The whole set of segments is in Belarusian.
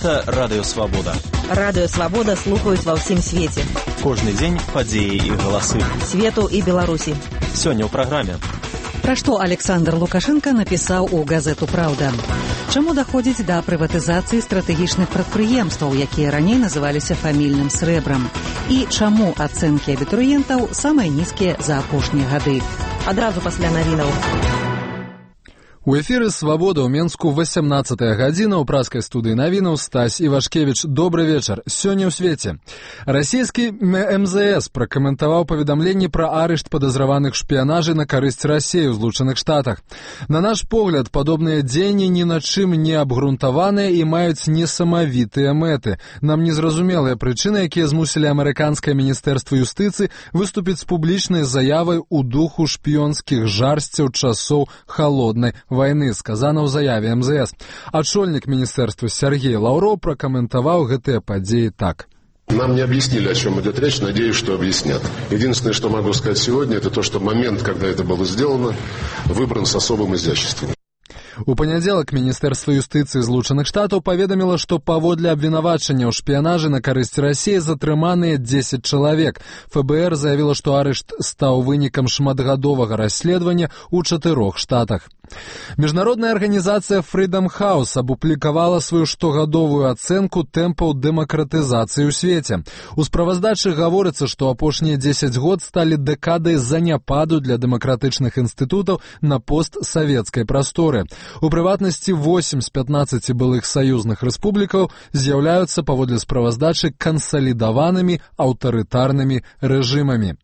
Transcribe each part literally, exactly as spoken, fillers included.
Гэта Радыё Свабода. Радыё Свабода слухаюць ва ўсім свеце. Кожны дзень падзеі і галасы. Свету і Беларусі. Сёння ў праграме. Пра што Александр Лукашенко напісаў у газету «Праўда». Чаму даходзіць да прыватызацыі стратэгічных прадпрыемстваў, якія раней называліся фамільным срэбрам? І чаму ацэнкі абітурыентаў самыя нізкія за апошнія гады? Адразу пасля навінаў. У эфіры «Свабода» ў Менску васямнаццатая гадзіна, ў праскай студыі навінаў Стась Івашкевіч. Добры вечар. Сёння ў свеце. Расійскі эм зэ эс пракаментаваў паведамленні пра арышт падазраваных шпіянажы на карысць Расіі ў Злучаных Штатах. На наш погляд, падобныя дзеянні ні на чым не абгрунтаваныя і маюць несамавітыя мэты. Нам незразумелыя прычыны, якія змусілі амерыканскае міністэрства юстыцыі выступіць з публічнай заявай у духу шпіёнскіх жарсцяў часоў халоднай войны, сказано ў заяве эм зэ эс. Ачольнік міністэрства Сергей Лаўроў пракаментаваў гэтыя падзеі так. Нам не объяснили, о чем идет речь, надеюсь, что объяснят. Единственное, что могу сказать сегодня, это то, что момент, когда это было сделано, выбран с особым изяществом. У панядзелак Міністэрства юстыцыі Злучаных Штатаў паведаміла, што паводле абвінавачання ў шпіянажы на карысць Расіі затрыманыя дзесяць чалавек. эф бэ эр заявіла, што арышт стаў вынікам шматгадовага расследавання ў чатырох штатах. Міжнародная арганізацыя Freedom House апублікавала сваю штогадовую ацэнку тэмпаў дэмакратызацыі ў свеце. У справаздачы гаворыцца, што апошнія дзесяць год сталі дэкадай заняпаду для дэмакратычных інстытутаў на постсавецкай прасторы. У прыватнасці восем з пятнаццаці былых саюзных рэспублікаў з'яўляюцца паводле справаздачы кансалідаванымі аўтарытарнымі рэжымамі.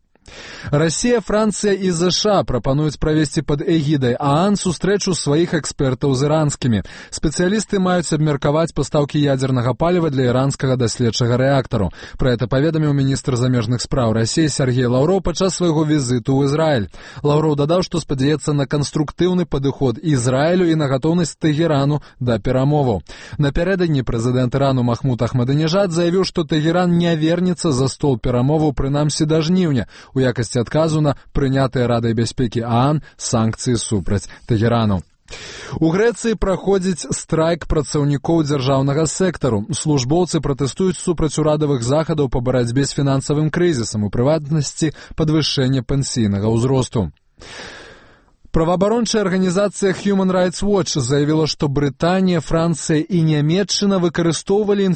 Расія, Францыя і ЗША прапануюць правесці пад эгідай ААН сустрэчу сваіх экспертаў з іранскімі. Спецыялісты маюць абмеркаваць пастаўкі ядзернага паліва для іранскага даследчага рэактару. Пра гэта паведаміў міністр замежных спраў Расіі Сергей Лаўроў падчас свайго візіту ў Ізраіль. Лаўроў дадаў, што спадзяецца на канструктыўны падыход Ізраілю і на гатоўнасць Тэгерану да перамоваў. Напярэдадні прэзідэнт Ірану Махмуд Ахмадынежад заявіў, што Тэгеран не вернецца за стол перамоваў прынамсі да жніўня у якасці адказу на прынятыя Радай бяспекі ААН санкцыі супраць Тэгерану. У Грэцыі праходзіць страйк працаўнікоў дзяржаўнага сектару. Службоўцы пратэстуюць супраць урадавых захадаў па барацьбе з фінансавым крызісам, у прыватнасці падвышэння пенсійнага ўзросту. Праваабарончая арганізацыя Human Rights Watch заявіла, што Брытанія, Францыя і Нямецчына выкарыстоўвалі інфармацыю